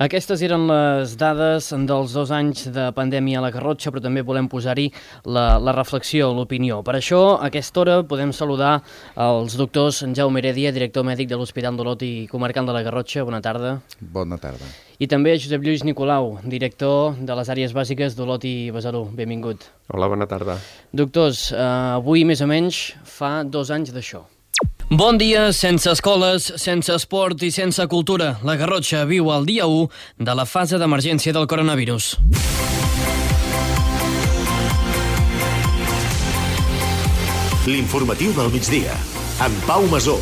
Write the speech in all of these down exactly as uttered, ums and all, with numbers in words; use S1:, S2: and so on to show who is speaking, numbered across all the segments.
S1: Aquestes eren les dades dels dos anys de pandèmia a la Garrotxa, però també volem posar-hi la, la reflexió, l'opinió. Per això, a aquesta hora, podem saludar els doctors Jaume Heredia, director mèdic de l'Hospital d'Olot i comarcal de la Garrotxa. Bona tarda.
S2: Bona tarda.
S1: I també Josep Lluís Nicolau, director de les àrees bàsiques d'Olot i Besalú. Benvingut.
S3: Hola, bona tarda.
S1: Doctors, eh, avui més o menys fa dos anys d'això. Bon dia, sense escoles, sense esport i sense cultura. La Garrotxa viu el dia u de la fase d'emergència del coronavirus.
S4: L'informatiu del migdia, amb Pau Masó.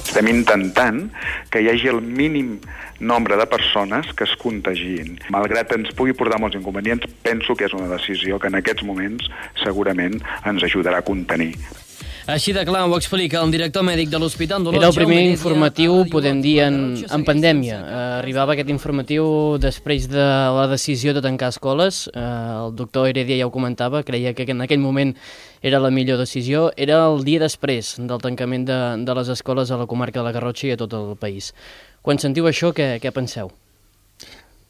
S5: Estem intentant que hi hagi el mínim nombre de persones que es contagin. Malgrat ens pugui portar molts inconvenients, penso que és una decisió que en aquests moments segurament ens ajudarà a contenir.
S1: Així de clar ho explica el director mèdic de l'Hospital d'Olot. Era el primer informatiu, podem dir, en, en pandèmia. Eh, arribava aquest informatiu després de la decisió de tancar escoles. Eh, el doctor Heredia ja ho comentava, creia que en aquell moment era la millor decisió. Era el dia després del tancament de, de les escoles a la comarca de la Garrotxa i a tot el país. Quan sentiu això, què, què penseu?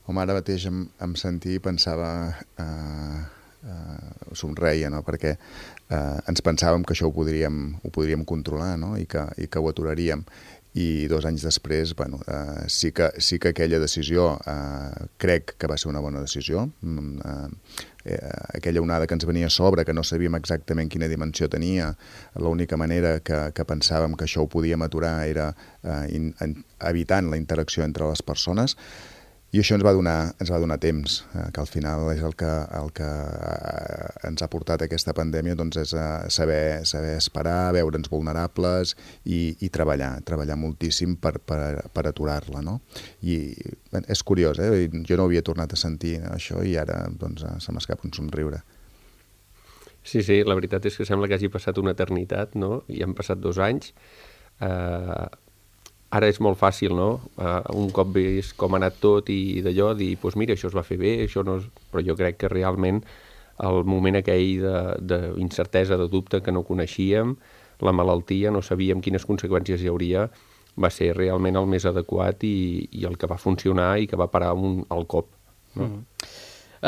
S2: Home, ara mateix em, em sentia i pensava... Eh, eh, somreia, no?, perquè eh, ens pensàvem que això ho podríem, ho podríem controlar, no?, i que, i que ho aturaríem. I dos anys després, bueno, eh, sí, que, sí que aquella decisió eh, crec que va ser una bona decisió. Eh, eh, aquella onada que ens venia a sobre, que no sabíem exactament quina dimensió tenia, l'única manera que, que pensàvem que això ho podíem aturar era eh, in, in, evitant la interacció entre les persones. I això ens va donar, ens va donar temps, eh, que al final és el que, el que eh, ens ha portat aquesta pandèmia, doncs és eh, saber, saber esperar, veure'ns vulnerables i, i treballar, treballar moltíssim per, per, per aturar-la, no? I bé, és curiós, eh? Jo no havia tornat a sentir això i ara doncs, se m'escapa un somriure.
S3: Sí, sí, la veritat és que sembla que hagi passat una eternitat, no? I han passat dos anys. Eh... Ara és molt fàcil, no? Uh, un cop vist com ha anat tot i d'allò, dir, doncs pues mira, això es va fer bé, això no... És... Però jo crec que realment el moment aquell d'incertesa, de, de dubte que no coneixíem, la malaltia, no sabíem quines conseqüències hi hauria, va ser realment el més adequat i, i el que va funcionar i que va parar un, al cop. No?
S1: Mm.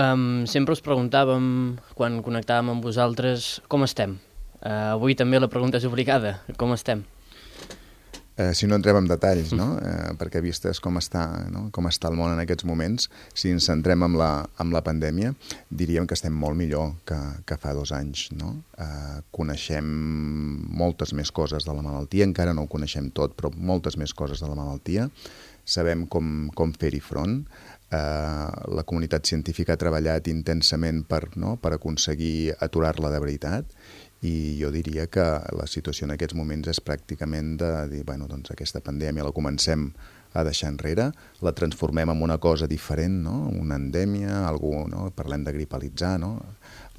S1: Um, sempre us preguntàvem, quan connectàvem amb vosaltres, com estem? Uh, avui també la pregunta és obligada, com estem?
S2: Eh, si no entrem en detalls, no? eh, perquè vistes com està, no? com està el món en aquests moments, si ens centrem en la, en la pandèmia, diríem que estem molt millor que, que fa dos anys. No? Eh, coneixem moltes més coses de la malaltia, encara no ho coneixem tot, però moltes més coses de la malaltia. Sabem com, com fer-hi front. Eh, la comunitat científica ha treballat intensament per, no? per aconseguir aturar-la de veritat. I jo diria que la situació en aquests moments és pràcticament de dir, bueno, doncs aquesta pandèmia la comencem a deixar enrere, la transformem en una cosa diferent, no? Una endèmia, algú, no? Parlem de gripalitzar, no?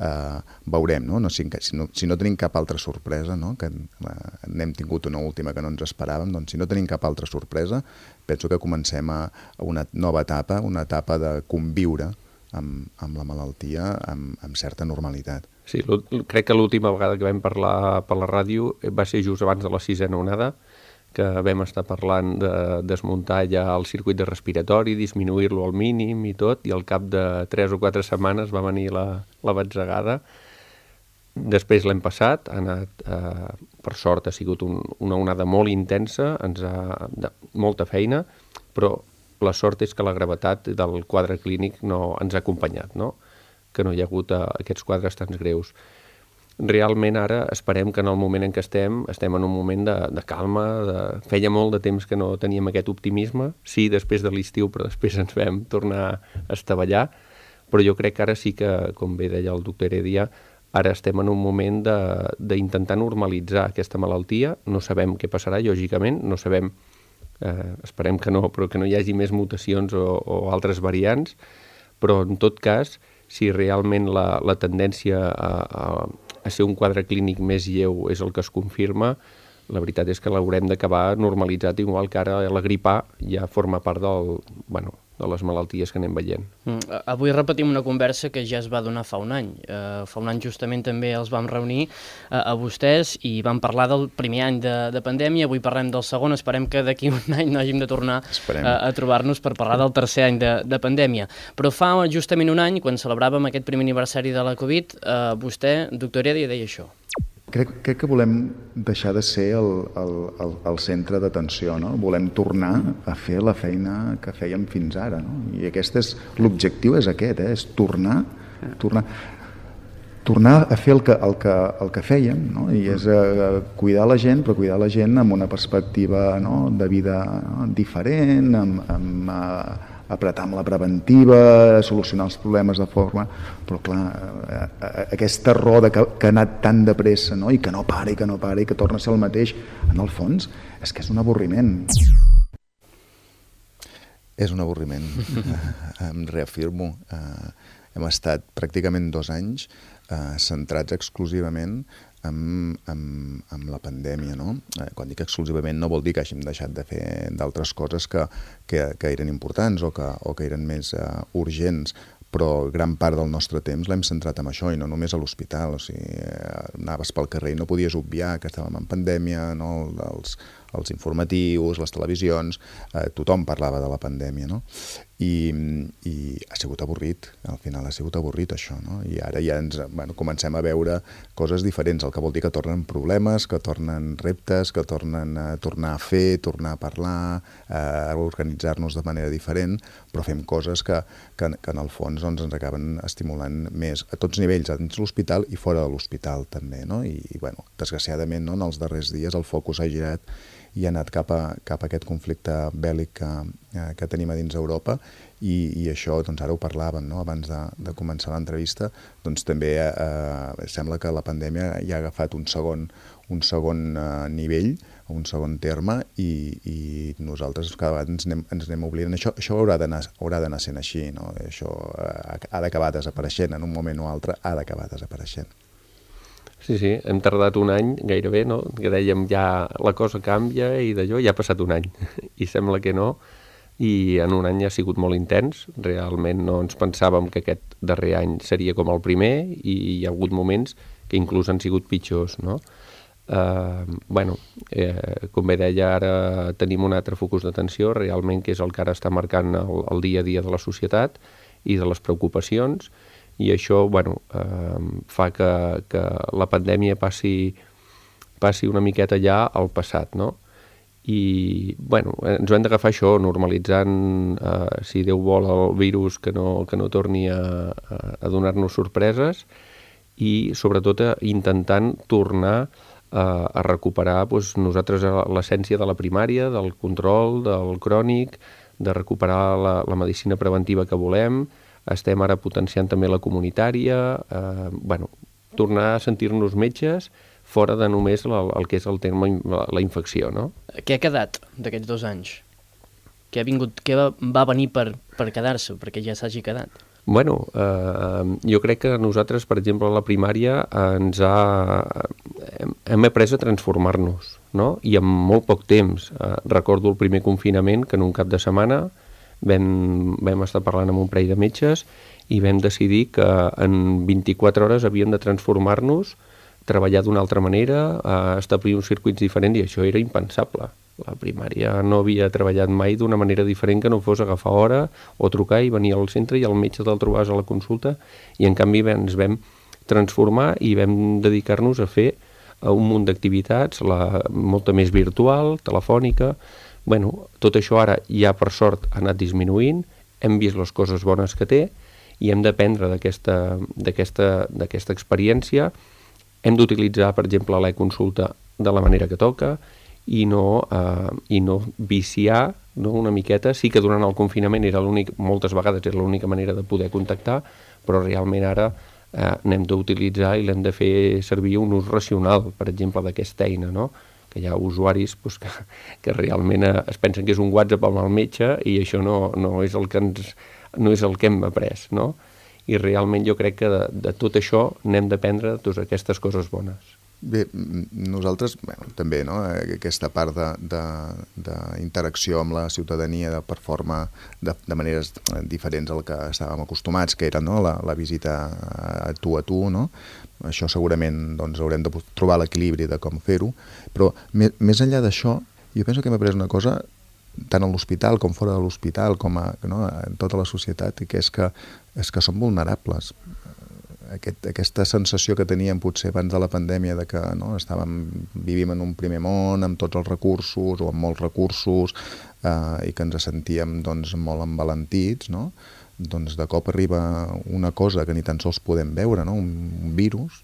S2: Uh, veurem, no? No, si, si, no? si no tenim cap altra sorpresa, no? Que uh, n'hem tingut una última que no ens esperàvem, doncs si no tenim cap altra sorpresa, penso que comencem a, a una nova etapa, una etapa de conviure amb, amb la malaltia amb, amb certa normalitat.
S3: Sí, crec que l'última vegada que vam parlar per la ràdio va ser just abans de la sisena onada, que vam estar parlant de desmuntar ja el circuit de respiratori, disminuir-lo al mínim i tot, i al cap de tres o quatre setmanes va venir la, la batzegada. Després l'hem passat, ha anat, eh, per sort ha sigut un, una onada molt intensa, ens ha de, molta feina, però la sort és que la gravetat del quadre clínic no ens ha acompanyat, no? Que no hi ha hagut uh, aquests quadres tan greus. Realment ara esperem que en el moment en què estem, estem en un moment de, de calma, de... feia molt de temps que no teníem aquest optimisme, sí, després de l'estiu, però després ens vam tornar a estavellar, però jo crec que ara sí que, com bé deia el doctor Heredia, ara estem en un moment d'intentar normalitzar aquesta malaltia, no sabem què passarà, lògicament, no sabem, eh, esperem que no, però que no hi hagi més mutacions o, o altres variants, però en tot cas, si realment la, la tendència a, a, a ser un quadre clínic més lleu és el que es confirma, la veritat és que l'haurem d'acabar normalitzat, igual que ara la grip A ja forma part del, bueno, de les malalties que anem veient.
S1: Mm. Avui repetim una conversa que ja es va donar fa un any. Uh, fa un any justament també els vam reunir uh, a vostès i vam parlar del primer any de, de pandèmia, avui parlem del segon, esperem que d'aquí un any no hàgim de tornar uh, a trobar-nos per parlar del tercer any de, de pandèmia. Però fa justament un any, quan celebràvem aquest primer aniversari de la Covid, uh, vostè, doctor Heredia, deia això.
S2: Crec, crec que volem deixar de ser el, el, el, el centre d'atenció, no? Volem tornar a fer la feina que fèiem fins ara, no? I aquest és, l'objectiu és aquest, eh? És tornar, tornar, tornar a fer el que, el que, el que fèiem, no? I és eh, cuidar la gent, però cuidar la gent amb una perspectiva, no?, de vida, no?, diferent, amb, amb eh, apretar amb la preventiva, solucionar els problemes de forma... Però, clar, aquesta roda que, que ha anat tan de pressa, no?, i que no para, i que no para, i que torna a ser el mateix, en el fons, és que és un avorriment. És un avorriment, em reafirmo. Uh, hem estat pràcticament dos anys uh, centrats exclusivament Amb, amb, amb la pandèmia, no? Eh, quan dic exclusivament no vol dir que hàgim deixat de fer d'altres coses que, que, que eren importants o que, o que eren més uh, urgents, però gran part del nostre temps l'hem centrat en això i no només a l'hospital. O sigui, eh, anaves pel carrer i no podies obviar que estàvem en pandèmia, no? Els, els informatius, les televisions, eh, tothom parlava de la pandèmia, no? I, i ha sigut avorrit, al final ha sigut avorrit això, no? I ara ja ens, bueno, comencem a veure coses diferents, el que vol dir que tornen problemes, que tornen reptes, que tornen a tornar a fer, tornar a parlar, a organitzar-nos de manera diferent, però fem coses que, que, que en el fons doncs, ens acaben estimulant més a tots nivells, dins l'hospital i fora de l'hospital també, no? I, i bueno, desgraciadament, no, en els darrers dies el focus ha girat i ha anat cap a, cap a aquest conflicte bèl·lic que, que tenim a dins d'Europa i, i això, doncs ara ho parlàvem, no? Abans de, de començar l'entrevista, doncs també eh, sembla que la pandèmia ja ha agafat un segon, un segon eh, nivell, un segon terme i, i nosaltres cada vegada ens anem, ens anem oblidant. Això, això haurà d'anar haurà d'anar sent així, no? Això eh, ha d'acabar desapareixent, en un moment o altre ha d'acabar desapareixent.
S3: Sí, sí, hem tardat un any gairebé, no? Que dèiem ja la cosa canvia i d'allò ja ha passat un any i sembla que no, i en un any ha sigut molt intens, realment no ens pensàvem que aquest darrer any seria com el primer i hi ha hagut moments que inclús han sigut pitjors, no? Uh, bueno, eh, com bé deia, ara tenim un altre focus d'atenció realment que és el que ara està marcant el, el dia a dia de la societat i de les preocupacions, i això, bueno, eh, fa que, que la pandèmia passi, passi una miqueta ja al passat, no? I, bueno, ens ho hem d'agafar això, normalitzant, eh, si Déu vol, el virus que no, que no torni a, a donar-nos sorpreses i, sobretot, intentant tornar a, a recuperar doncs, nosaltres l'essència de la primària, del control, del crònic, de recuperar la, la medicina preventiva que volem. Estem ara potenciant també la comunitària, eh, bueno, tornar a sentir-nos metges fora de només la, el que és el terme la, la infecció, no?
S1: Què ha quedat d'aquests dos anys? Què ha vingut, què va, va venir per, per quedar-se, perquè ja s'hagi quedat?
S3: Bueno, eh, jo crec que nosaltres, per exemple, a la primària ens ha... hem, hem après a transformar-nos, no? I en molt poc temps. Eh, recordo el primer confinament, que en un cap de setmana Vam, vam estar parlant amb un parell de metges i vam decidir que en vint-i-quatre hores havíem de transformar-nos, treballar d'una altra manera, eh, establir uns circuits diferents, i això era impensable. La primària no havia treballat mai d'una manera diferent que no fos agafar hora o trucar i venir al centre i el metge te'l trobaves a la consulta, i en canvi ens vam transformar i vam dedicar-nos a fer un munt d'activitats, la, molta més virtual, telefònica. Bueno, tot això ara ja per sort ha anat disminuint, hem vist les coses bones que té i hem d'aprendre d'aquesta d'aquesta d'aquesta experiència. Hem d'utilitzar, per exemple, l'e-consulta de la manera que toca i no, eh, i no viciar, no, una miqueta. Sí que durant el confinament era l'únic, moltes vegades era l'única manera de poder contactar, però realment ara eh, n'hem d'utilitzar i l'hem de fer servir un ús racional, per exemple, d'aquesta eina, no? Que hi ha usuaris doncs, que, que realment es pensen que és un WhatsApp amb el metge i això no, no, és el que ens, no és el que hem après, no? I realment jo crec que de, de tot això n'hem d'aprendre doncs, aquestes coses bones.
S2: Bé, nosaltres, bueno, també, no? Aquesta part d'interacció amb la ciutadania de, per forma, de, de maneres diferents al que estàvem acostumats, que era, no? la, la visita a tu a tu, no? Això segurament doncs, haurem de trobar l'equilibri de com fer-ho, però més, més enllà d'això, jo penso que hem après una cosa tant a l'hospital com fora de l'hospital, com a, no? en tota la societat, i que és que, és que som vulnerables. Aquest, aquesta sensació que teníem potser abans de la pandèmia de que no, estàvem, vivim en un primer món amb tots els recursos o amb molts recursos eh, i que ens sentíem doncs, molt envalentits, no? Doncs de cop arriba una cosa que ni tan sols podem veure, no? un, un virus,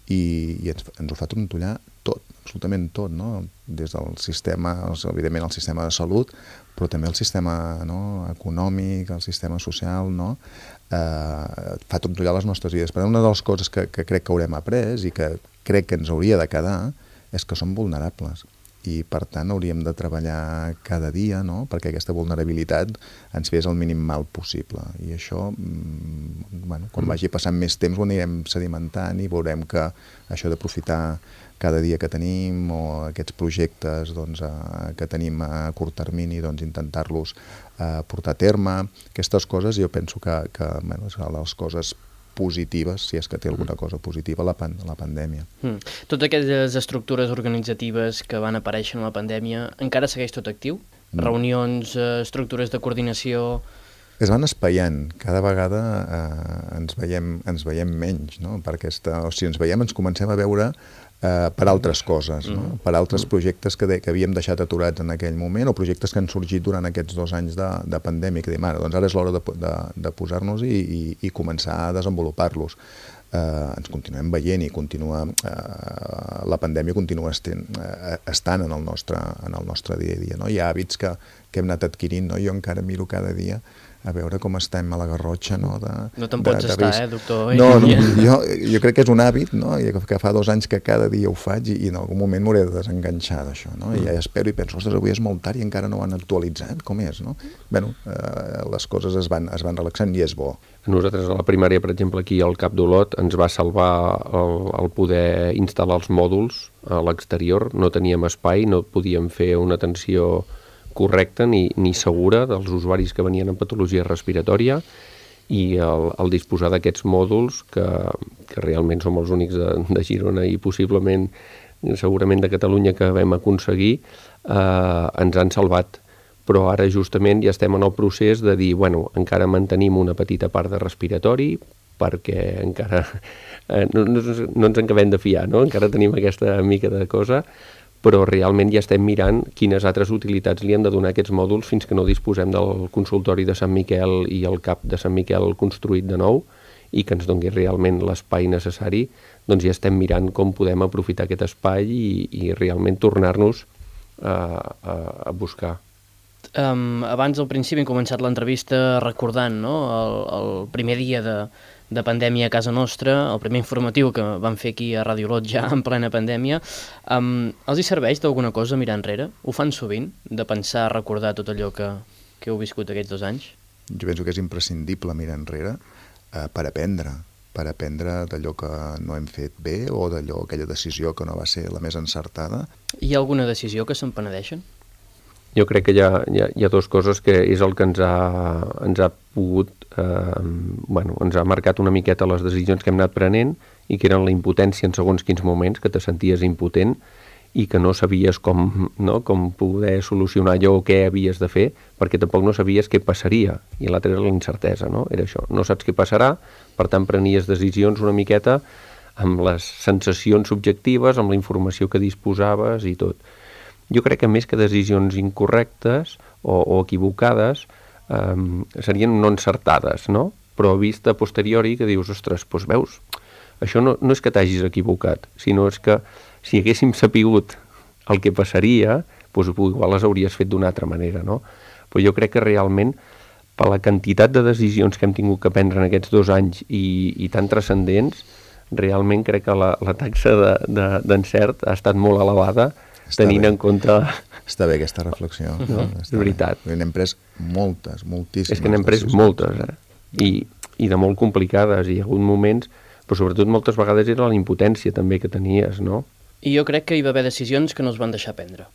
S2: i, i ens, ens ho fa trontollar tot, absolutament tot, no? Des del sistema, evidentment el sistema de salut, però també el sistema no? econòmic, el sistema social, no? eh, fa trontollar les nostres vides. Per tant, una de les coses que, que crec que haurem après i que crec que ens hauria de quedar és que som vulnerables i per tant hauríem de treballar cada dia, no? Perquè aquesta vulnerabilitat ens fes el mínim mal possible i això, bueno, quan vagi passant més temps ho anirem sedimentant i veurem que això d'aprofitar cada dia que tenim o aquests projectes doncs, eh, que tenim a curt termini, doncs, intentar-los eh, portar a terme. Aquestes coses jo penso que, que bueno, són les coses positives, si és que té alguna cosa positiva, la, pan la pandèmia.
S1: Mm. Totes aquelles estructures organitzatives que van aparèixer en la pandèmia, encara segueix tot actiu? Mm. Reunions, eh, estructures de coordinació...
S2: Es van espaiant, cada vegada eh, ens, veiem, ens veiem menys, no? Per aquesta, o sigui, ens veiem, ens comencem a veure Uh, per altres coses, no? mm. per altres projectes que, de, que havíem deixat aturats en aquell moment o projectes que han sorgit durant aquests dos anys de, de pandèmia, que diem, ara, doncs ara és l'hora de, de, de posar-nos i, i, i començar a desenvolupar-los. Uh, ens continuem veient i continua, uh, la pandèmia continua estent, uh, estant en el, nostre, en el nostre dia a dia. No? Hi ha hàbits que, que hem anat adquirint, no? Jo encara miro cada dia a veure com estem a la Garrotxa, no? De,
S1: no te'n pots de, de estar, eh, doctor?
S2: No, no jo, jo crec que és un hàbit, no? I que fa dos anys que cada dia ho faig i, i en algun moment m'hauré de desenganxar d'això, no? I ja espero i penso, ostres, avui és molt tard i encara no ho han actualitzat, com és, no? Bé, eh, les coses es van, es van relaxant i és bo.
S3: Nosaltres a la primària, per exemple, aquí al Cap d'Olot, ens va salvar el, el poder instal·lar els mòduls a l'exterior, no teníem espai, no podíem fer una atenció correcta ni, ni segura dels usuaris que venien amb patologia respiratòria i el, el disposar d'aquests mòduls que, que realment som els únics de, de Girona i possiblement segurament de Catalunya que vam aconseguir eh, ens han salvat, però ara justament ja estem en el procés de dir, bueno, encara mantenim una petita part de respiratori perquè encara eh, no, no, no ens en acabem de fiar, no? Encara tenim aquesta mica de cosa, però realment ja estem mirant quines altres utilitats li han de donar aquests mòduls fins que no disposem del consultori de Sant Miquel i el CAP de Sant Miquel construït de nou i que ens doni realment l'espai necessari, doncs ja estem mirant com podem aprofitar aquest espai i, i realment tornar-nos a, a, a buscar.
S1: Um, abans, al principi, hem començat l'entrevista recordant no? el, el primer dia de, de pandèmia a casa nostra, el primer informatiu que vam fer aquí a Ràdio Olot ja en plena pandèmia. Um, els hi serveix d'alguna cosa mirar enrere? Ho fan sovint, de pensar, recordar tot allò que, que heu viscut aquests dos anys?
S2: Jo penso que és imprescindible mirar enrere eh, per aprendre, per aprendre d'allò que no hem fet bé o d'allò, aquella decisió que no va ser la més encertada.
S1: Hi ha alguna decisió que se'n penedeixen?
S3: Jo crec que hi ha, hi ha, hi ha dues coses que és el que ens ha, ens ha pogut, eh, bueno, ens ha marcat una miqueta les decisions que hem anat prenent i que eren la impotència en segons quins moments, que te senties impotent i que no sabies com, no, com poder solucionar allò o què havies de fer, perquè tampoc no sabies què passaria, i l'altra era la incertesa, no? Era això, no saps què passarà, per tant prenies decisions una miqueta amb les sensacions subjectives, amb la informació que disposaves i tot. Jo crec que més que decisions incorrectes o, o equivocades um, serien no encertades, no? Però vista a posteriori que dius, ostres, doncs veus, això no, no és que t'hagis equivocat, sinó és que si haguéssim sapigut el que passaria, doncs igual les hauries fet d'una altra manera, no? Però jo crec que realment, per la quantitat de decisions que hem tingut que prendre en aquests dos anys i, i tan transcendents, realment crec que la, la taxa d'encert de, de, ha estat molt elevada, està tenint bé. En compte...
S2: Està bé aquesta reflexió.
S3: No? És veritat.
S2: Bé. N'hem pres moltes, moltíssimes.
S3: És que n'hem pres moltes, eh? I, i de molt complicades. Hi ha hagut moments, però sobretot moltes vegades era la impotència també que tenies, no?
S1: I jo crec que hi va haver decisions que no es van deixar prendre.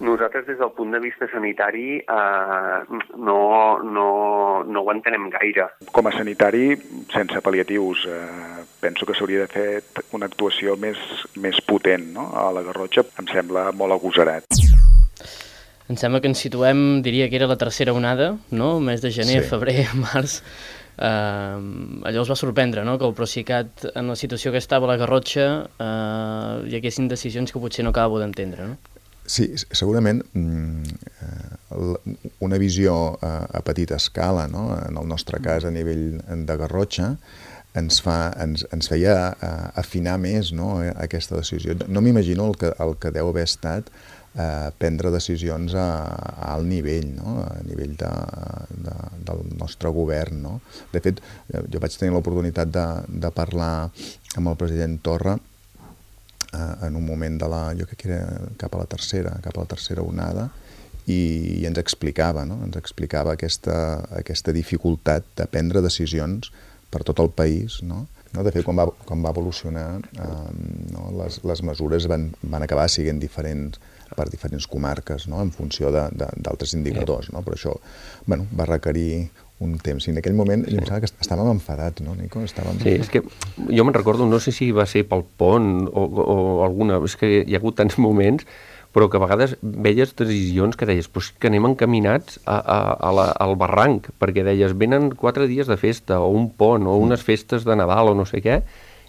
S6: Nosaltres, des del punt de vista sanitari, eh, no, no, no ho entenem gaire.
S5: Com a sanitari, sense pal·liatius, eh, penso que s'hauria de fer una actuació més, més potent, no? A la Garrotxa em sembla molt agosarat.
S1: Em sembla que ens situem, diria que era la tercera onada, no? El mes de gener, sí. Febrer, març. Uh, allò els va sorprendre, no? Que el Procicat, en la situació que estava a la Garrotxa, uh, hi haguessin decisions que potser no acabo d'entendre, no?
S2: Sí, segurament una visió a petita escala, no? En el nostre cas a nivell de Garrotxa, ens, fa, ens, ens feia afinar més, no? Aquesta decisió. No m'imagino el, que, el que deu haver estat eh, prendre decisions a, a alt nivell, no? A nivell de, de, del nostre govern, no? De fet, jo vaig tenir l'oportunitat de, de parlar amb el president Torra en un moment de la, jo crec que era cap a la tercera, cap a la tercera onada, i, i ens explicava, no? Ens explicava aquesta, aquesta dificultat de prendre decisions per tot el país, no? No? De fet, quan va, quan va evolucionar, eh, no? les, les mesures van, van acabar sent diferents per diferents comarques, no? En funció d'altres indicadors, no? Però això, bueno, va requerir un temps. I en aquell moment sí. Em sembla que estàvem enfadats, no, Nico? Estàvem...
S3: Sí, és que jo me'n recordo, no sé si va ser pel pont o, o alguna... És que hi ha hagut tants moments, però que a vegades veies decisions que deies pues, que anem encaminats a, a, a la, al barranc, perquè deies, venen quatre dies de festa, o un pont, o unes festes de Nadal, o no sé què,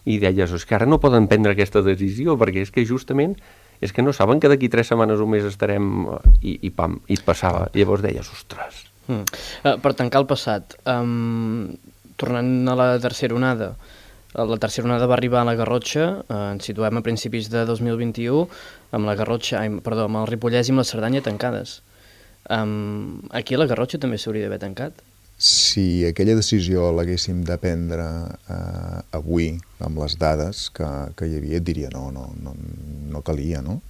S3: i deies, és que ara no poden prendre aquesta decisió, perquè és que justament és que no saben que d'aquí tres setmanes o més estarem... I, i pam, i et passava. I llavors deies, ostres...
S1: Mm. Uh, per tancar el passat, um, tornant a la tercera onada, la tercera onada va arribar a la Garrotxa, uh, ens situem a principis de dos mil vint-i-u, amb la Garrotxa, ai, perdó, amb el Ripollès i amb la Cerdanya tancades. Um, aquí a la Garrotxa també s'hauria d'haver tancat?
S2: Si aquella decisió l'haguéssim de prendre uh, avui, amb les dades que, que hi havia, et diria no, no, no, no calia, no?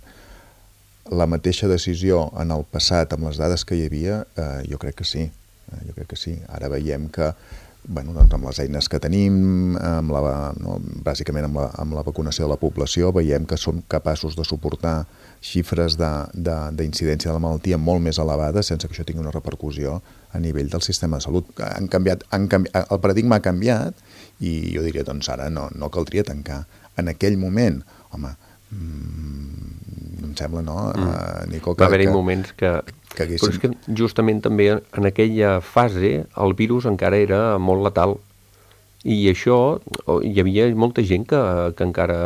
S2: La mateixa decisió en el passat, amb les dades que hi havia, eh, jo crec que sí. Eh, jo crec que sí. Ara veiem que, bueno, doncs amb les eines que tenim, amb la, no, bàsicament amb la, amb la vacunació de la població, veiem que som capaços de suportar xifres d'incidència de, de, de la malaltia molt més elevades sense que això tingui una repercussió a nivell del sistema de salut. Han canviat, han canviat, el paradigma ha canviat i jo diria, doncs ara no, no caldria tancar. En aquell moment, home, mmm, em sembla, no, mm. uh, Nico? Que,
S3: va haver-hi moments que...
S2: que haguessin...
S3: Però és que justament també en aquella fase el virus encara era molt letal. I això, hi havia molta gent que, que encara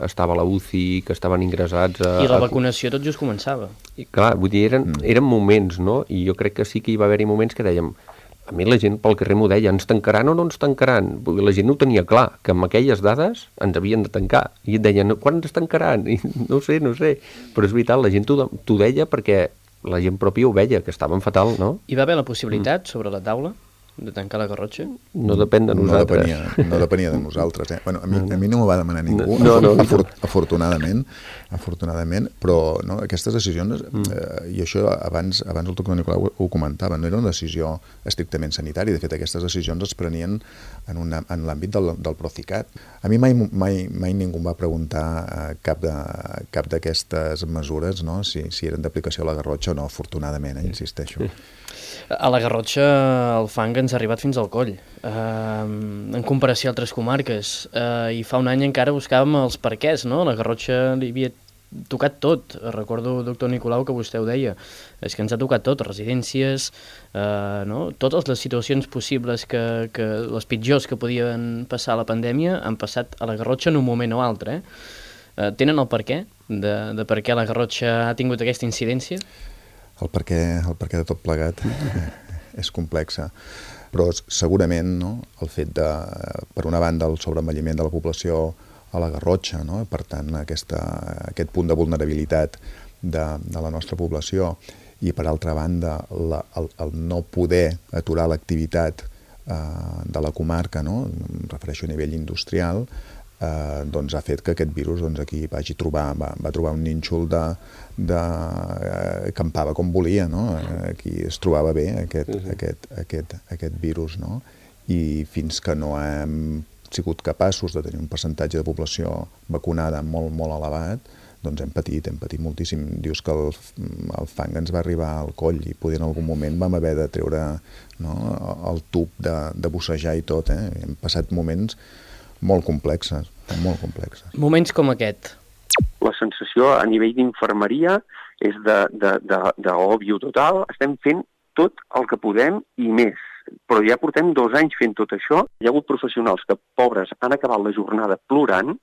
S3: estava a la U C I, que estaven ingressats... A,
S1: I la vacunació tot just començava.
S3: I clar, vull dir, eren, mm. eren moments, no? I jo crec que sí que hi va haver-hi moments que dèiem... A mi la gent pel carrer m'ho deia, ens tancaran o no ens tancaran? La gent no ho tenia clar, que amb aquelles dades ens havien de tancar. I et deien, quan ens tancaran? I no sé, no sé. Però és veritat, la gent t'ho deia perquè la gent pròpia ho veia, que estaven fatal, no?
S1: Hi va haver la possibilitat mm. sobre la taula de tancar la Garrotxa?
S3: No depèn de nosaltres.
S2: No depenia, no depenia de nosaltres. Eh? Bueno, a, mi, a mi no m'ho va demanar ningú,
S3: no, no, no.
S2: Afor, afortunadament, afortunadament, però no, aquestes decisions, eh, i això abans, abans el doctor Nicolau ho, ho comentava, no era una decisió estrictament sanitària. De fet, aquestes decisions es prenien en, una, en l'àmbit del, del Procicat. A mi mai, mai, mai ningú em va preguntar eh, cap de, cap d'aquestes mesures, no? si, si eren d'aplicació a la Garrotxa o no, afortunadament, eh, insisteixo.
S1: A la Garrotxa el fang ens ha arribat fins al coll, eh, en comparació a altres comarques, eh, i fa un any encara buscàvem els perquès, no? La Garrotxa li havia tocat tot. Recordo, doctor Nicolau, que vostè ho deia, és que ens ha tocat tot, residències, eh, no? Totes les situacions possibles, que, que les pitjors que podien passar a la pandèmia han passat a la Garrotxa en un moment o altre. Eh? Eh, tenen el perquè de, de per què la Garrotxa ha tingut aquesta incidència?
S2: El perquè, el perquè de tot plegat és complexa, però segurament, no, el fet de, per una banda, el sobreenvelliment de la població a la Garrotxa, no, per tant, aquesta, aquest punt de vulnerabilitat de, de la nostra població, i per altra banda, la, el, el no poder aturar l'activitat eh, de la comarca, no, em refereixo a nivell industrial, Eh, doncs ha fet que aquest virus doncs, aquí vagi trobar, va, va trobar un nínxol de, de, eh, campava com volia, no? Aquí es trobava bé aquest, uh-huh. aquest, aquest, aquest virus, no? I fins que no hem sigut capaços de tenir un percentatge de població vacunada molt, molt elevat, doncs hem patit, hem patit moltíssim. Dius que el, el fang ens va arribar al coll i poder en algun moment vam haver de treure, no, el tub de, de bussejar i tot. Eh? Hem passat moments molt complexes, molt complexes.
S1: Moments com aquest.
S6: La sensació a nivell d'infermeria és d'òbvio total. Estem fent tot el que podem i més. Però ja portem dos anys fent tot això. Hi ha hagut professionals que, pobres, han acabat la jornada plorant,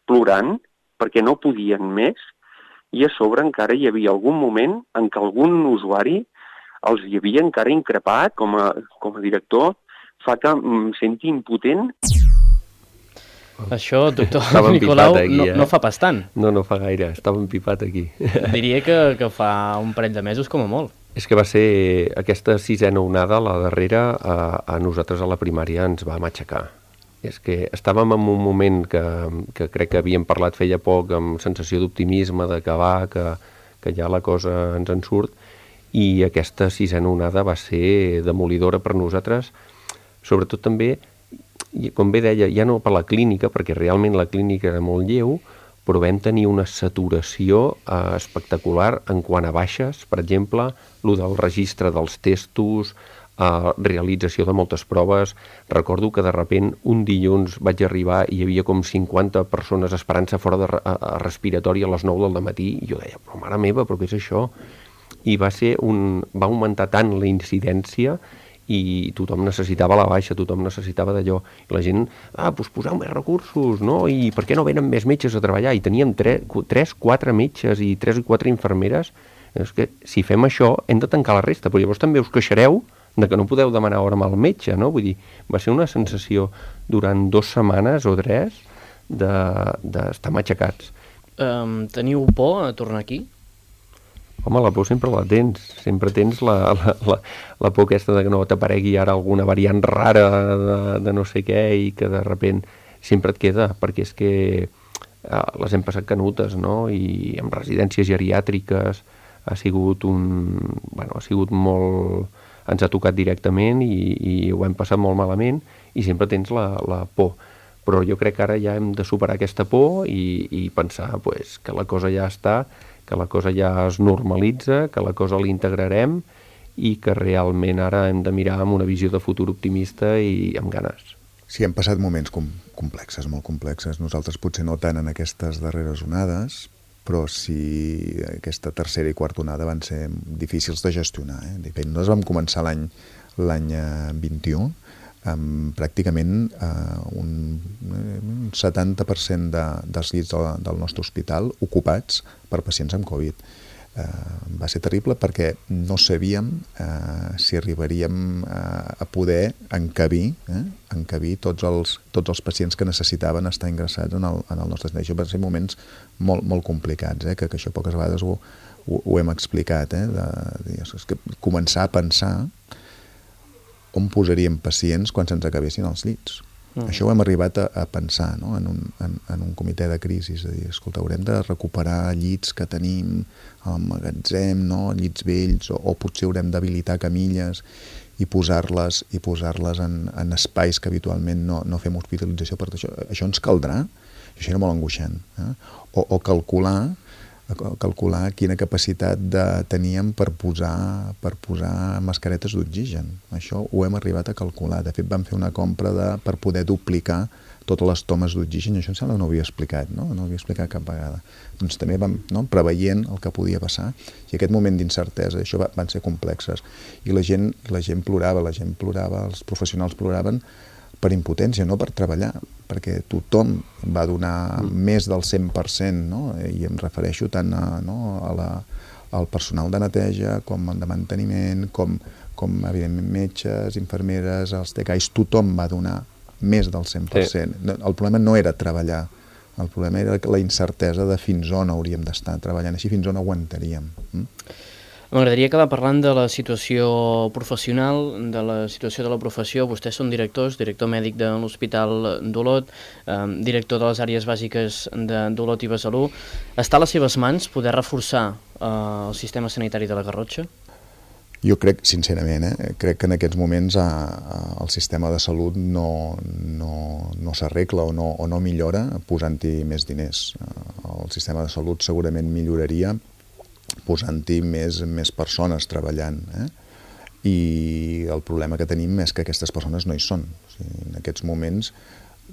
S6: plorant, perquè no podien més, i a sobre encara hi havia algun moment en què algun usuari els hi havia encara increpat com a, com a director, fa que em senti impotent.
S1: Això, doctor Nicolau, aquí, no, eh? no fa pas tant.
S3: No, no fa gaire, estava empipat aquí.
S1: Diria que, que fa un parell de mesos com a molt.
S3: És que va ser aquesta sisena onada, la darrera, a, a nosaltres a la primària ens va matxacar. És que estàvem en un moment que, que crec que havíem parlat feia poc, amb sensació d'optimisme, d'acabar, que, que ja la cosa ens en surt, i aquesta sisena onada va ser demolidora per nosaltres, sobretot també, com bé deia, ja no per la clínica, perquè realment la clínica era molt lleu, però vam tenir una saturació eh, espectacular en quant a baixes, per exemple, el del registre dels testos, Uh, realització de moltes proves. Recordo que de repent un dilluns vaig arribar i hi havia com cinquanta persones esperant-se fora de re a respiratori a les nou del matí i jo deia, però mare meva, però què és això? I va ser un... va augmentar tant la incidència i tothom necessitava la baixa, tothom necessitava d'allò. I la gent, ah, doncs poseu més recursos, no? I per què no venen més metges a treballar? I teníem tres, quatre metges i tres o quatre infermeres. És que si fem això hem de tancar la resta, però llavors també us queixareu de que no podeu demanar hora amb el metge, no? Vull dir, va ser una sensació durant dues setmanes o tres d'estar de, de matxacats.
S1: Um, teniu por a tornar aquí?
S3: Home, la por sempre la tens. Sempre tens la, la, la, la por aquesta de que no t'aparegui ara alguna variant rara de, de no sé què i que de repent sempre et queda, perquè és que eh, les hem passat canutes, no? I amb residències geriàtriques ha sigut un... bueno, ha sigut molt... ens ha tocat directament i, i ho hem passat molt malament i sempre tens la, la por. Però jo crec que ara ja hem de superar aquesta por i, i pensar pues, que la cosa ja està, que la cosa ja es normalitza, que la cosa l'integrarem i que realment ara hem de mirar amb una visió de futur optimista i amb ganes.
S2: Sí, hem passat moments com, complexes, molt complexes. Nosaltres potser no tant en aquestes darreres onades, però sí aquesta tercera i quarta onada van ser difícils de gestionar. Eh? Nosaltres vam començar l'any l'any vint-i-u amb pràcticament eh, un, un setanta per cent de, dels llits de, del nostre hospital ocupats per pacients amb Covid. Eh, va ser terrible perquè no sabíem eh, si arribaríem a, a poder encabir, eh, encabir tots, els, tots els pacients que necessitaven estar ingressats en el, en el nostre servei. Això van ser moments molt, molt complicats, eh, que, que això poques vegades ho, ho, ho hem explicat, eh, de, de, és que començar a pensar on posaríem pacients quan se'ns acabessin els llits. Mm. Això ho hem arribat a, a pensar, no? en, un, en, en un comitè de crisi, és a dir, escolta, haurem de recuperar llits que tenim al magatzem, no? Llits vells, o, o potser haurem d'habilitar camilles i posar-les i posar-les en, en espais que habitualment no, no fem hospitalització. Per això, això ens caldrà, això era molt angoixant. Eh? O, o calcular calcular quina capacitat de, teníem per posar, per posar mascaretes d'oxigen. Això ho hem arribat a calcular. De fet, vam fer una compra de, per poder duplicar totes les tomes d'oxigen. Això em sembla que no ho havia explicat, no? No ho havia explicat cap vegada. Doncs també vam, no, preveient el que podia passar. I aquest moment d'incertesa, això va, van ser complexes. I la gent, la gent plorava, la gent plorava, els professionals ploraven per impotència, no per treballar, perquè tothom va donar mm. més del cent per cent, no? I em refereixo tant a, no, a la, al personal de neteja, com de manteniment, com, com evidentment metges, infermeres, els T C A Is, tothom va donar més del cent per cent. Sí. El problema no era treballar, el problema era la incertesa de fins on hauríem d'estar treballant, així fins on aguantaríem. Mm?
S1: M'agradaria acabar parlant de la situació professional, de la situació de la professió. Vostès són directors, director mèdic de l'Hospital d'Olot, eh, director de les àrees bàsiques de d'Olot i Besalú. Està a les seves mans poder reforçar eh, el sistema sanitari de la Garrotxa?
S2: Jo crec, sincerament, eh, crec que en aquests moments a, a, el sistema de salut no, no, no s'arregla o, no, o no millora posant-hi més diners. El sistema de salut segurament milloraria posant-hi més, més persones treballant. Eh? I el problema que tenim és que aquestes persones no hi són. O sigui, en aquests moments,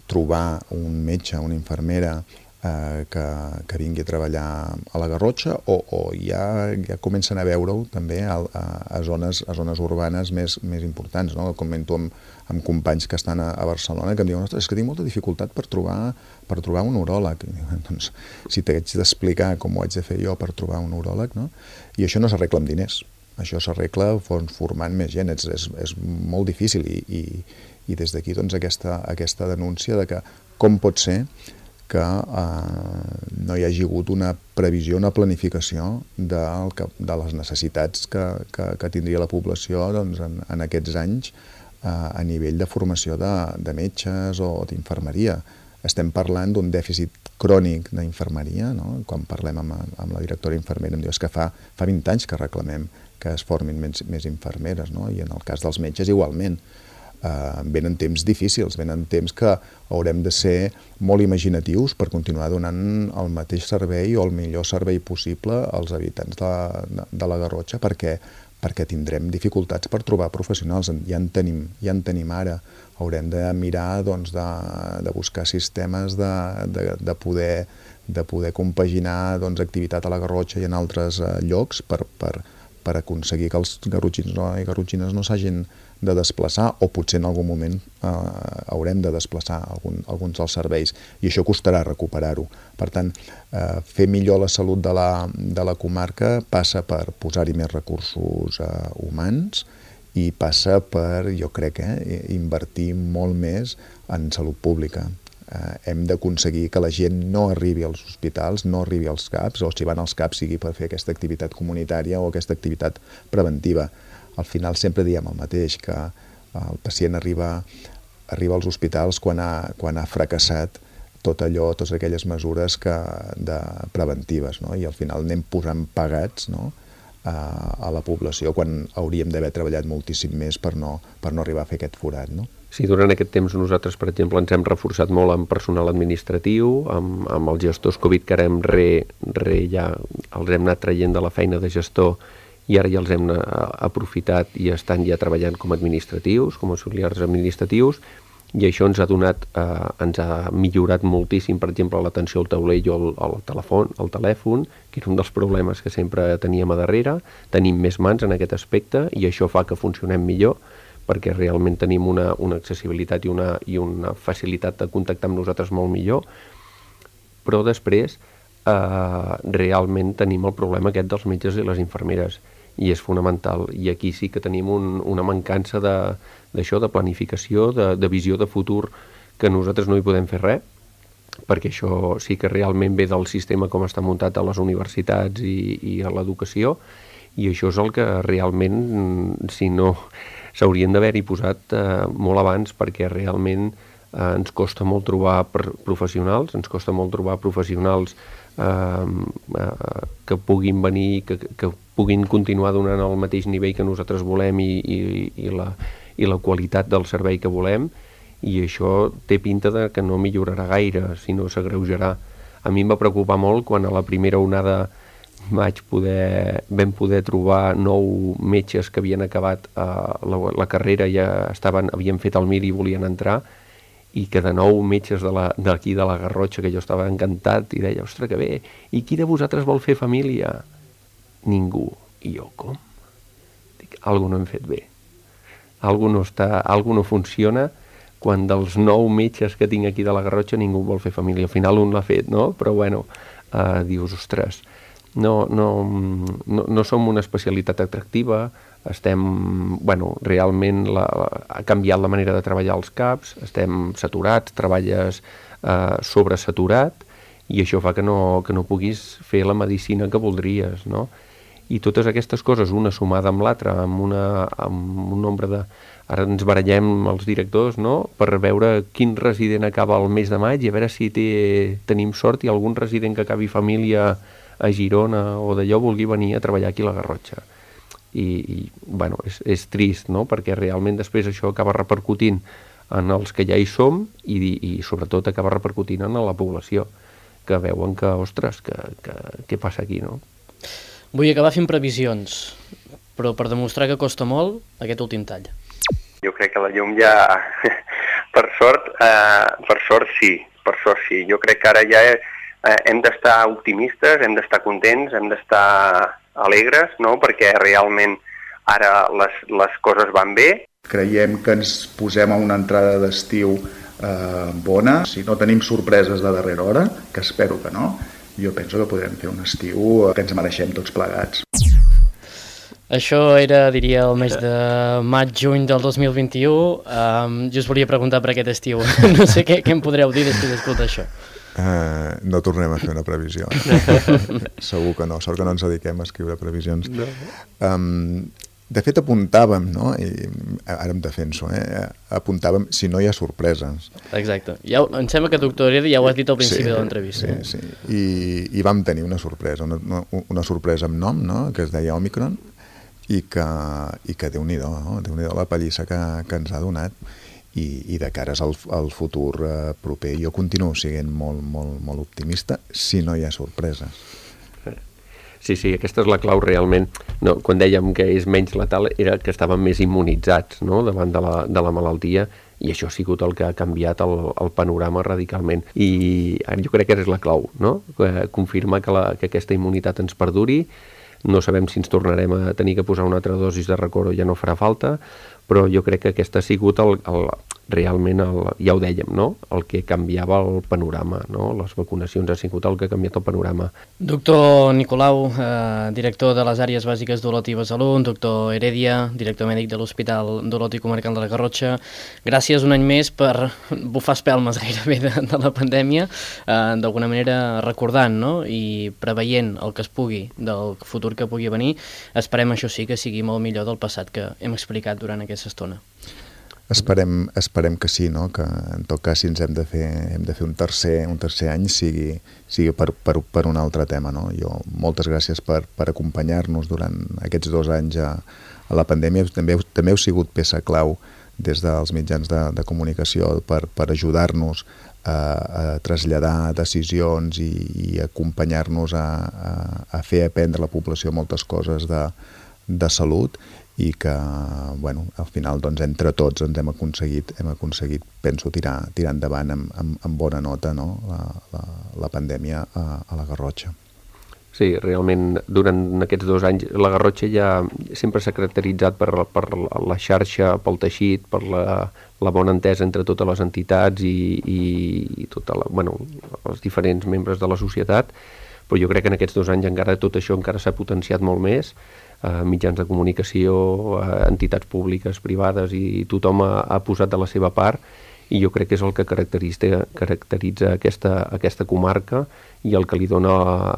S2: trobar un metge, una infermera, Eh, que, que vingui a treballar a la Garrotxa o, o ja, ja comencen a veure-ho també a, a, a, zones, a zones urbanes més, més importants, no? Comento amb, amb companys que estan a, a Barcelona que em diuen, ostres, és que tinc molta dificultat per trobar, per trobar un uròleg. Doncs, si t'haig d'explicar com ho haig de fer jo per trobar un uròleg, no? I això no s'arregla amb diners, això s'arregla formant més gent, és, és, és molt difícil i, i, i des d'aquí doncs, aquesta, aquesta denúncia de que com pot ser que eh, no hi hagi hagut una previsió, una planificació de, de les necessitats que, que, que tindria la població doncs, en, en aquests anys eh, a nivell de formació de, de metges o d'infermeria. Estem parlant d'un dèficit crònic d'infermeria, no? Quan parlem amb, amb la directora infermera em diu que fa, fa vint anys que reclamem que es formin més, més infermeres, no? I en el cas dels metges igualment. Uh, venen temps difícils, venen temps que haurem de ser molt imaginatius per continuar donant el mateix servei o el millor servei possible als habitants de, de, de la Garrotxa perquè, perquè tindrem dificultats per trobar professionals. Ja en tenim, ja en tenim ara. Haurem de mirar doncs, de, de buscar sistemes de, de, de, poder, de poder compaginar doncs, activitat a la Garrotxa i en altres uh, llocs per, per, per aconseguir que els garrotxins no, i garrotxines no s'hagin de desplaçar o potser en algun moment eh, haurem de desplaçar algun, alguns dels serveis i això costarà recuperar-ho. Per tant, eh, fer millor la salut de la, de la comarca passa per posar-hi més recursos eh, humans i passa per, jo crec, eh, invertir molt més en salut pública. Eh, hem d'aconseguir que la gent no arribi als hospitals, no arribi als CAPs, o si van als CAPs sigui per fer aquesta activitat comunitària o aquesta activitat preventiva. Al final sempre diem el mateix, que el pacient arriba, arriba als hospitals quan ha, quan ha fracassat tot allò, totes aquelles mesures que, de preventives, no? I al final anem posant pagats, no? a, a la població quan hauríem d'haver treballat moltíssim més per no, per no arribar a fer aquest forat, no?
S3: Sí, durant aquest temps nosaltres, per exemple, ens hem reforçat molt amb personal administratiu, amb, amb els gestors Covid, que ara hem re, re ja els hem anat traient de la feina de gestor i ara ja els hem aprofitat i estan ja treballant com administratius, com auxiliars administratius, i això ens ha donat, eh, ens ha millorat moltíssim, per exemple, l'atenció al taulell o al, al telèfon, al telèfon, que era un dels problemes que sempre teníem a darrere. Tenim més mans en aquest aspecte i això fa que funcionem millor, perquè realment tenim una, una accessibilitat i una, i una facilitat de contactar amb nosaltres molt millor, però després eh, realment tenim el problema aquest dels metges i les infermeres, i és fonamental, i aquí sí que tenim un, una mancança d'això, de, de planificació, de, de visió de futur, que nosaltres no hi podem fer res, perquè això sí que realment ve del sistema com està muntat a les universitats i, i a l'educació, i això és el que realment, si no, s'haurien d'haver-hi posat eh, molt abans, perquè realment eh, ens costa molt trobar professionals, ens costa molt trobar professionals eh, eh, que puguin venir, que, que puguin continuar donant el mateix nivell que nosaltres volem i, i, i, la, i la qualitat del servei que volem, i això té pinta de que no millorarà gaire, sinó s'agreujarà. A mi em va preocupar molt quan a la primera onada vaig poder, vam poder trobar nou metges que havien acabat eh, la, la carrera, ja estaven, havien fet el mir i volien entrar, i que de nou metges d'aquí de, de la Garrotxa, que jo estava encantat, i deia, ostres, que bé, i qui de vosaltres vol fer família? Ningú. I jo, com? Dic, algú no hem fet bé. Algú no, està, algú no funciona quan dels nou metges que tinc aquí de la Garrotxa ningú vol fer família. Al final un l'ha fet, no? Però bueno, eh, dius, ostres, no, no, no, no som una especialitat atractiva, estem, bueno, realment la, ha canviat la manera de treballar als CAPs, estem saturats, treballes eh, sobresaturat, i això fa que no, que no puguis fer la medicina que voldries, no? I totes aquestes coses, una sumada amb l'altra, amb, una, amb un nombre de... Ara ens barallem els directors, no?, per veure quin resident acaba el mes de maig i a veure si té, tenim sort i algun resident que acabi família a Girona o d'allò vulgui venir a treballar aquí a la Garrotxa. i, i bueno, és, és trist, no? Perquè realment després això acaba repercutint en els que ja hi som i, i sobretot acaba repercutint en la població, que veuen que, ostres, que, que, què passa aquí, no?
S1: Vull acabar fent previsions, però per demostrar que costa molt, aquest últim tall.
S6: Jo crec que la llum ja, per sort, eh, per sort sí, per sort sí. Jo crec que ara ja eh, hem d'estar optimistes, hem d'estar contents, hem d'estar alegres, no? Perquè realment ara les, les coses van bé.
S2: Creiem que ens posem a una entrada d'estiu eh, bona. Si no tenim sorpreses de darrera hora, que espero que no, jo penso que podrem fer un estiu que ens mereixem tots plegats.
S1: Això era, diria, el mes de maig-juny del dos mil vint-i-u. Um, jo us volia preguntar per aquest estiu. No sé què, què em podreu dir després d'escoltar això.
S2: Uh, no tornem a fer una previsió. Segur que no. Sort que no ens dediquem a escriure previsions. No. Um, de fet, apuntàvem, no? I ara em defenso, eh? Apuntàvem si no hi ha sorpreses.
S1: Exacte. Ja, em sembla que, doctor Heredia, ja ho has dit al principi sí, de l'entrevista.
S2: Sí, sí. I, I vam tenir una sorpresa, una, una sorpresa amb nom, no? Que es deia Omicron, i que, i que Déu-n'hi-do, no? Déu-n'hi-do la pallissa que, que ens ha donat, i, i de cares al, al futur eh, proper jo continuo sent molt, molt, molt optimista si no hi ha sorpreses.
S3: Sí, sí, aquesta és la clau realment. No, quan dèiem que és menys letal era que estàvem més immunitzats, no?, davant de la, de la malaltia, i això ha sigut el que ha canviat el, el panorama radicalment. I jo crec que és la clau, no?, confirmar que, la, que aquesta immunitat ens perduri. No sabem si ens tornarem a tenir que posar una altra dosis de record o ja no farà falta, però jo crec que aquest ha sigut el, el, realment, el, ja ho dèiem, no?, el que canviava el panorama, no? Les vacunacions ha sigut el que ha canviat el panorama.
S1: Doctor Nicolau, eh, director de les àrees bàsiques d'Olot i Besalú, doctor Heredia, director mèdic de l'Hospital d'Olot i Comarcal de la Garrotxa, gràcies un any més per bufar espelmes gairebé de, de la pandèmia, eh, d'alguna manera recordant, no?, i preveient el que es pugui del futur que pugui venir. Esperem, això sí, que sigui molt millor del passat que hem explicat durant aquesta estona.
S2: Esperem, esperem que sí, no? Que en tot cas si ens hem de fer, hem de fer un tercer, un tercer any sigui, sigui per, per, per un altre tema, no? Jo, moltes gràcies per, per acompanyar-nos durant aquests dos anys a, a la pandèmia. També, també heu sigut peça clau des dels mitjans de, de comunicació per, per ajudar-nos a, a traslladar decisions i, i acompanyar-nos a, a, a fer aprendre a la població moltes coses de, de salut, i que, bueno, al final, doncs, entre tots ens hem aconseguit, hem aconseguit, penso, tirar, tirar endavant amb, amb, amb bona nota, no?, la, la, la pandèmia a, a la Garrotxa.
S3: Sí, realment, durant aquests dos anys, la Garrotxa ja sempre s'ha caracteritzat per, per la xarxa, pel teixit, per la, la bona entesa entre totes les entitats i, i, i tota la, bueno, els diferents membres de la societat, però jo crec que en aquests dos anys encara tot això encara s'ha potenciat molt més. Uh, mitjans de comunicació, uh, entitats públiques, privades, i tothom ha, ha posat de la seva part, i jo crec que és el que caracteritza, caracteritza aquesta, aquesta comarca i el que li dona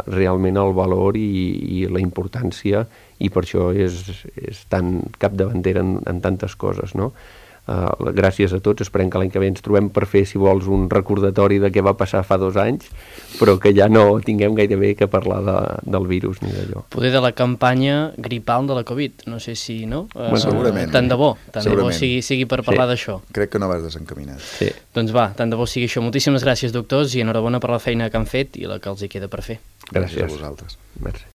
S3: realment el valor i, i la importància, i per això és, és tan capdavantera en, en tantes coses, no? Uh, gràcies a tots, esperem que l'any que ve ens trobem per fer, si vols, un recordatori de què va passar fa dos anys, però que ja no tinguem gairebé que parlar de, del virus ni d'allò.
S1: Poder de la campanya gripal de la Covid, no sé si, no?
S2: Bueno, segurament.
S1: Tant de bo, tant de bo sigui, sigui per parlar sí. d'això.
S2: Crec que no vas desencaminat.
S3: Sí.
S1: Doncs va, tant de bo sigui això. Moltíssimes gràcies, doctors, i enhorabona per la feina que han fet i la que els hi queda per fer.
S3: Gràcies,
S2: gràcies a vosaltres.
S3: Merci.